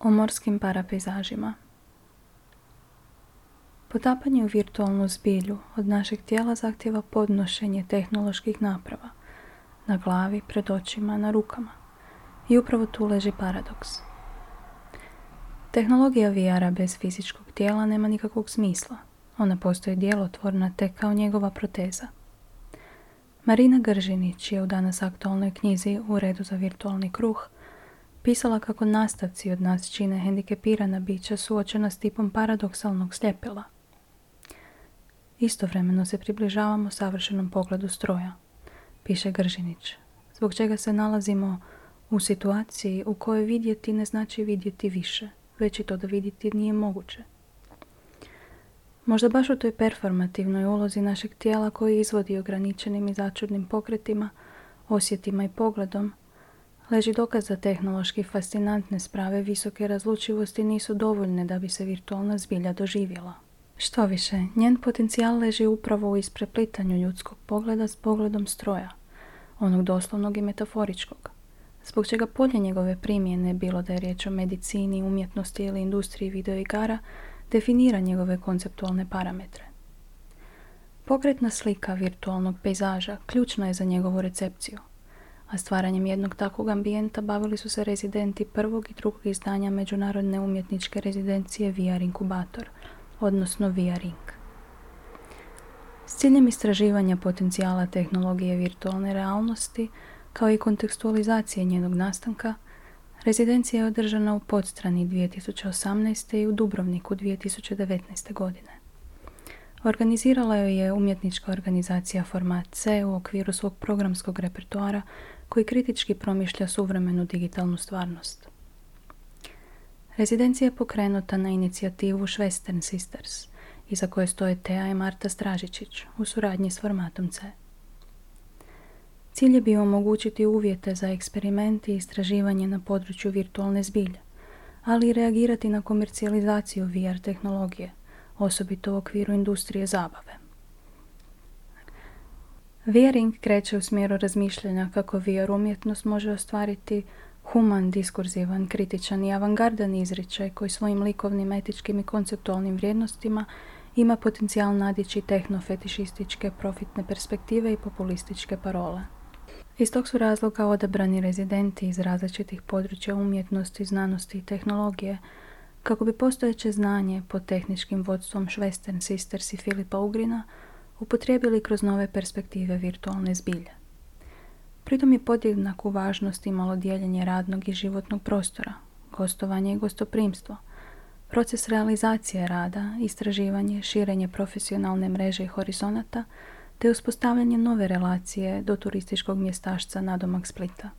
O morskim parapejzažima. Potapanje u virtualnu zbilju od našeg tijela zahtjeva podnošenje tehnoloških naprava na glavi, pred očima, na rukama. I upravo tu leži paradoks. Tehnologija VR-a bez fizičkog tijela nema nikakvog smisla. Ona postoji djelotvorna tek kao njegova proteza. Marina Gržinić je u danas aktualnoj knjizi U redu za virtualni kruh pisala kako nastavci od nas čine hendikepirana bića suočena s tipom paradoksalnog sljepila. Istovremeno se približavamo savršenom pogledu stroja, piše Gržinić, zbog čega se nalazimo u situaciji u kojoj vidjeti ne znači vidjeti više, već i to da vidjeti nije moguće. Možda baš u toj performativnoj ulozi našeg tijela koji izvodi ograničenim i začudnim pokretima, osjetima i pogledom, leži dokaz da tehnološki fascinantne sprave visoke razlučivosti nisu dovoljne da bi se virtualna zbilja doživjela. Štoviše, njen potencijal leži upravo u ispreplitanju ljudskog pogleda s pogledom stroja, onog doslovnog i metaforičkog, zbog čega polje njegove primjene, bilo da je riječ o medicini, umjetnosti ili industriji videoigara, definira njegove konceptualne parametre. Pokretna slika virtualnog pejzaža ključna je za njegovu recepciju, a stvaranjem jednog takvog ambijenta bavili su se rezidenti prvog i drugog izdanja međunarodne umjetničke rezidencije VR Inkubator, odnosno VR Inc. S ciljem istraživanja potencijala tehnologije virtualne realnosti, kao i kontekstualizacije njenog nastanka, rezidencija je održana u Podstrani 2018. i u Dubrovniku 2019. godine. Organizirala joj je umjetnička organizacija Format C u okviru svog programskog repertoara koji kritički promišlja suvremenu digitalnu stvarnost. Rezidencija je pokrenuta na inicijativu Western Sisters, iza koje stoje Teja i Marta Stražičić u suradnji s Formatom C. Cilj je bio omogućiti uvjete za eksperiment i istraživanje na području virtualne zbilje, ali i reagirati na komercijalizaciju VR tehnologije, osobito u okviru industrije zabave. VR Inc. kreće u smjeru razmišljanja kako VR umjetnost može ostvariti human, diskurzivan, kritičan i avangardan izričaj koji svojim likovnim, etičkim i konceptualnim vrijednostima ima potencijal nadići tehnofetišističke, profitne perspektive i populističke parole. Iz tog su razloga odabrani rezidenti iz različitih područja umjetnosti, znanosti i tehnologije, kako bi postojeće znanje pod tehničkim vodstvom Western Sisters i Filipa Ugrina upotrijebili kroz nove perspektive virtualne zbilje. Pritom je podjednaku važnost imalo dijeljenje radnog i životnog prostora, gostovanje i gostoprimstvo, proces realizacije rada, istraživanje, širenje profesionalne mreže i horizonata, te uspostavljanje nove relacije do turističkog mjestašca nadomak Splita.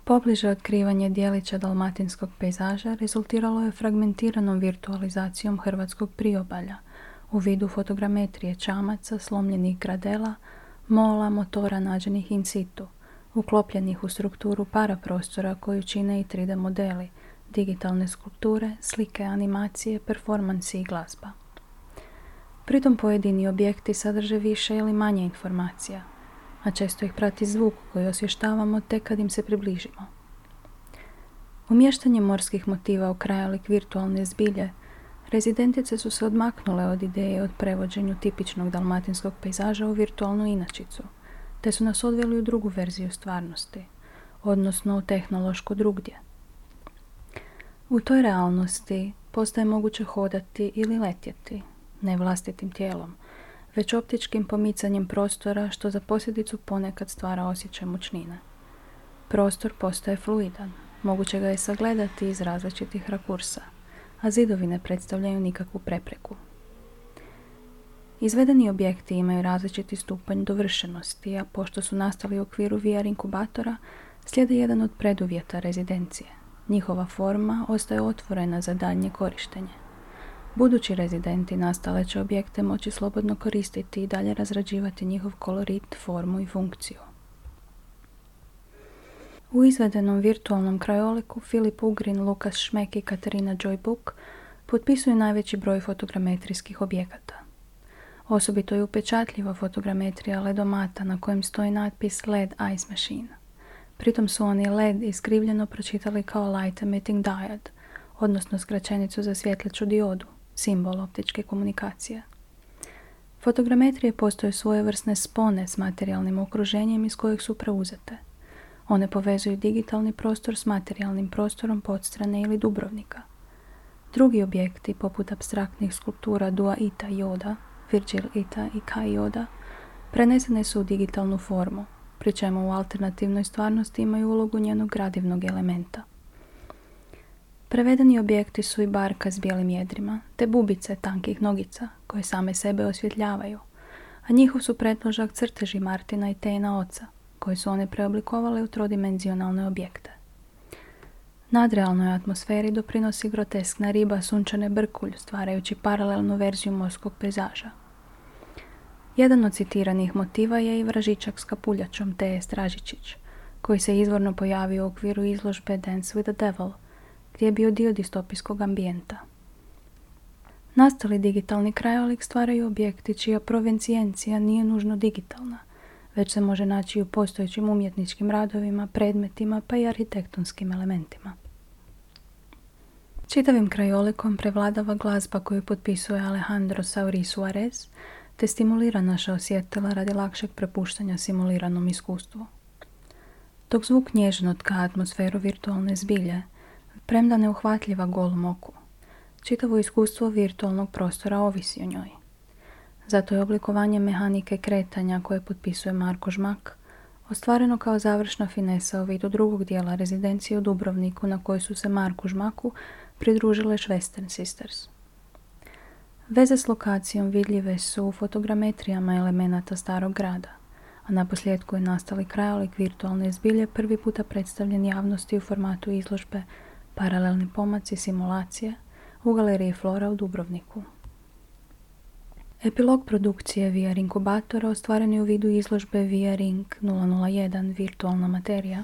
Pobliže otkrivanje dijelića dalmatinskog pejzaža rezultiralo je fragmentiranom virtualizacijom hrvatskog priobalja u vidu fotogrametrije čamaca, slomljenih gradela, mola, motora nađenih in situ, uklopljenih u strukturu paraprostora koju čine i 3D modeli, digitalne skulpture, slike, animacije, performansi i glazba. Pritom pojedini objekti sadrže više ili manje informacija, a često ih prati zvuk koji osvještavamo tek kad im se približimo. Umještanjem morskih motiva u krajolik virtualne zbilje, rezidentice su se odmaknule od ideje od prevođenju tipičnog dalmatinskog pejzaža u virtualnu inačicu, te su nas odveli u drugu verziju stvarnosti, odnosno u tehnološko drugdje. U toj realnosti postaje moguće hodati ili letjeti, ne vlastitim tijelom, već optičkim pomicanjem prostora što za posljedicu ponekad stvara osjećaj mučnine. Prostor postaje fluidan, moguće ga je sagledati iz različitih rakursa, a zidovi ne predstavljaju nikakvu prepreku. Izvedeni objekti imaju različiti stupanj dovršenosti, a pošto su nastali u okviru VR inkubatora, slijede jedan od preduvjeta rezidencije. Njihova forma ostaje otvorena za daljnje korištenje. Budući rezidenti nastale će objekte moći slobodno koristiti i dalje razrađivati njihov kolorit, formu i funkciju. U izvedenom virtualnom krajoliku Filip Ugrin, Lukas Šmek i Katarina Joy Book potpisuju najveći broj fotogrametrijskih objekata. Osobito je upečatljiva fotogrametrija ledomata na kojem stoji natpis LED Ice Machine. Pritom su oni LED iskrivljeno pročitali kao Light Emitting Diode, odnosno skraćenicu za svjetleću diodu, simbol optičke komunikacije. Fotogrametrije postoje svojevrsne spone s materijalnim okruženjem iz kojeg su preuzete. One povezuju digitalni prostor s materijalnim prostorom Podstrane ili Dubrovnika. Drugi objekti, poput apstraktnih skulptura Dua Ita Joda, Virgil Ita i Kai Joda, prenesene su u digitalnu formu, pri čemu u alternativnoj stvarnosti imaju ulogu njenog gradivnog elementa. Prevedeni objekti su i barka s bijelim jedrima, te bubice tankih nogica, koje same sebe osvjetljavaju, a njihov su pretložak crteži Martina i Tejna oca, koji su one preoblikovale u trodimenzionalne objekte. Nadrealnoj atmosferi doprinosi groteskna riba sunčane brkulj, stvarajući paralelnu verziju morskog pejzaža. Jedan od citiranih motiva je i vražićak s kapuljačom Teje Stražičić, koji se izvorno pojavio u okviru izložbe Dance with the Devil, gdje je bio dio distopijskog ambijenta. Nastali digitalni krajolik stvaraju objekti čija provencijencija nije nužno digitalna, već se može naći u postojećim umjetničkim radovima, predmetima pa i arhitektonskim elementima. Čitavim krajolikom prevladava glazba koju potpisuje Alejandro Sauri Suarez, te stimulira naša osjetila radi lakšeg prepuštanja simuliranom iskustvu. Dok zvuk nježno tka atmosferu virtualne zbilje, premda neuhvatljiva golom oku, čitavo iskustvo virtualnog prostora ovisi o njoj. Zato je oblikovanje mehanike kretanja koje potpisuje Marko Žmak ostvareno kao završna finesa u vidu drugog dijela rezidencije u Dubrovniku na kojoj su se Marku Žmaku pridružile Western Sisters. Veze s lokacijom vidljive su u fotogrametrijama elemenata starog grada, a naposljetku je nastali krajolik virtualne zbilje prvi puta predstavljen javnosti u formatu izložbe Paralelni pomaci simulacije u galeriji Flora u Dubrovniku. Epilog produkcije VR inkubatora ostvaren je u vidu izložbe VR Inc. 001 Virtualna materija,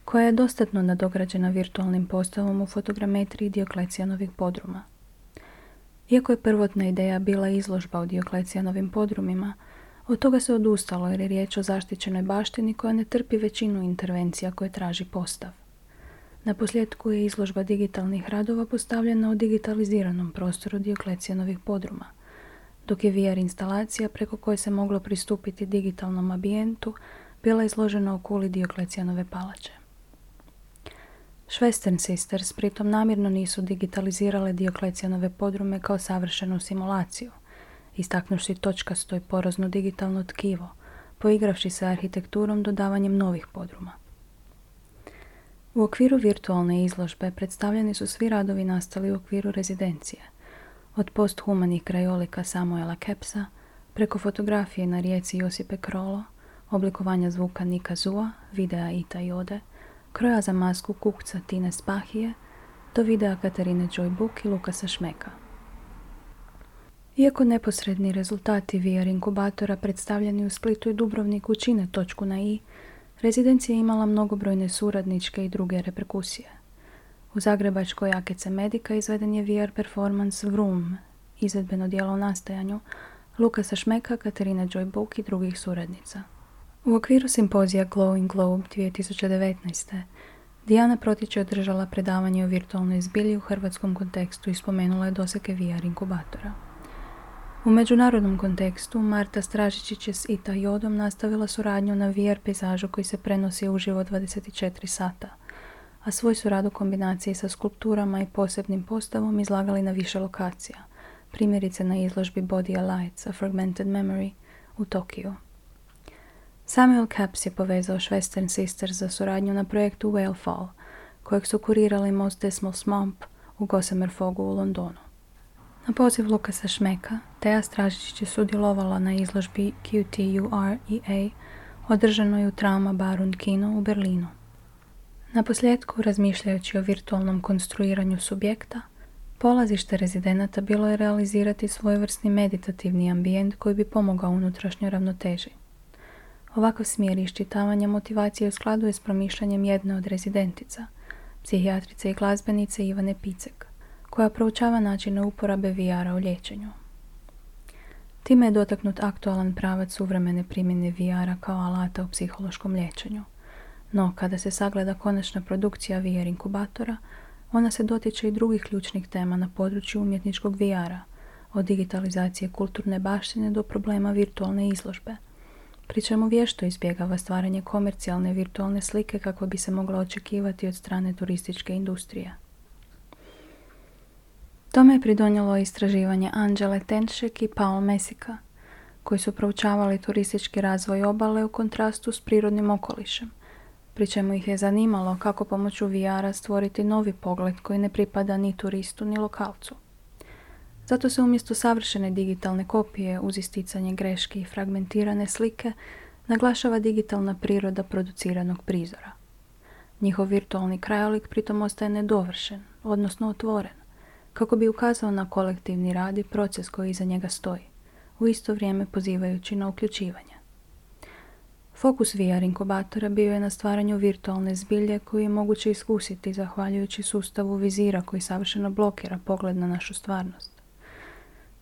koja je dostatno nadograđena virtualnim postavom u fotogrametriji Dioklecijanovih podruma. Iako je prvotna ideja bila izložba u Dioklecijanovim podrumima, od toga se odustalo jer je riječ o zaštićenoj baštini koja ne trpi većinu intervencija koje traži postav. Naposljetku je izložba digitalnih radova postavljena u digitaliziranom prostoru Dioklecijanovih podruma, dok je VR instalacija preko koje se moglo pristupiti digitalnom ambijentu bila izložena u kuli Dioklecijanove palače. Western Sisters pritom namjerno nisu digitalizirale Dioklecijanove podrume kao savršenu simulaciju, istaknuši točkasto i porozno digitalno tkivo, poigravši se arhitekturom dodavanjem novih podruma. U okviru virtualne izložbe predstavljeni su svi radovi nastali u okviru rezidencije, od posthumanih krajolika Samuela Kepsa, preko fotografije na rijeci Josipe Krolo, oblikovanja zvuka Nika Zua, videa Ita Jode, kroja za masku kukca Tine Spahije, do videa Katarine Joy Book i Lukasa Šmeka. Iako neposredni rezultati VR inkubatora predstavljeni u Splitu i Dubrovniku čine točku na i, rezidencija je imala mnogobrojne suradničke i druge reperkusije. U zagrebačkoj AKC Medica izveden je VR performance Vroom, izvedbeno djelo u nastajanju, Lukasa Šmeka, Katarine Joy Book i drugih suradnica. U okviru simpozija Glowing Globe 2019. Dijana Protić je održala predavanje o virtualnoj zbilji u hrvatskom kontekstu i spomenula je dosege VR inkubatora. U međunarodnom kontekstu Marta Stražičić je s Ita Jodom nastavila suradnju na VR pejzažu koji se prenosi uživo 24 sata, a svoj su rad u kombinaciji sa skulpturama i posebnim postavom izlagali na više lokacija, primjerice na izložbi Body Alights, A Fragmented Memory u Tokiju. Samuel Capps je povezao Western Sisters za suradnju na projektu Whale Fall, kojeg su kurirali Most Dismal Swamp u Gossamer Fogu u Londonu. Na poziv Lukasa Šmeka, Teja Stražičić je sudjelovala na izložbi QTUREA, održanoj u Trauma Baru Kino u Berlinu. Naposljetku, razmišljajući o virtualnom konstruiranju subjekta, polazište rezidenata bilo je realizirati svojevrsni meditativni ambijent koji bi pomogao unutrašnjoj ravnoteži. Ovakav smjer iščitavanja motivacije u skladu je s promišljanjem jedne od rezidentica, psihijatrice i glazbenice Ivane Picek, koja proučava načine uporabe VR-a u liječenju. Time je dotaknut aktualan pravac suvremene primjene VR-a kao alata u psihološkom liječenju. No, kada se sagleda konačna produkcija VR inkubatora, Ona se dotiče i drugih ključnih tema na području umjetničkog VR-a, od digitalizacije kulturne baštine do problema virtualne izložbe, pri čemu vješto izbjegava stvaranje komercijalne virtualne slike kako bi se mogla očekivati od strane turističke industrije. Tome je pridonijelo istraživanje Angele Tenšek i Paul Mesika, koji su proučavali turistički razvoj obale u kontrastu s prirodnim okolišem, pri čemu ih je zanimalo kako pomoću VR-a stvoriti novi pogled koji ne pripada ni turistu ni lokalcu. Zato se umjesto savršene digitalne kopije uz isticanje greške i fragmentirane slike naglašava digitalna priroda produciranog prizora. Njihov virtualni krajolik pritom ostaje nedovršen, odnosno otvoren, kako bi ukazao na kolektivni rad i proces koji iza njega stoji, u isto vrijeme pozivajući na uključivanje. Fokus VR inkubatora bio je na stvaranju virtualne zbilje koju je moguće iskusiti zahvaljujući sustavu vizira koji savršeno blokira pogled na našu stvarnost.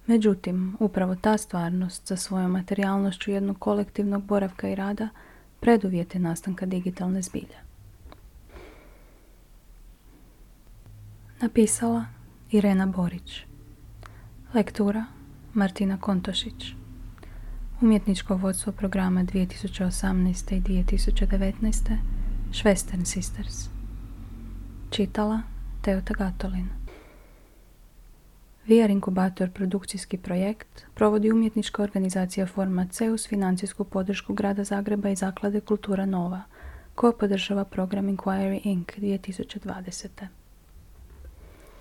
Međutim, upravo ta stvarnost sa svojom materijalnošću jednog kolektivnog boravka i rada preduvjet je nastanka digitalne zbilje. Napisala Irena Borić. Lektura Martina Kontošić. Umjetničko vodstvo programa 2018. i 2019. Švestern Sisters. Čitala Teota Gatolin. VR inkubator produkcijski projekt provodi umjetnička organizacija Format C uz financijsku podršku Grada Zagreba i Zaklade Kultura Nova, koja podržava program Inquiry Inc. 2020.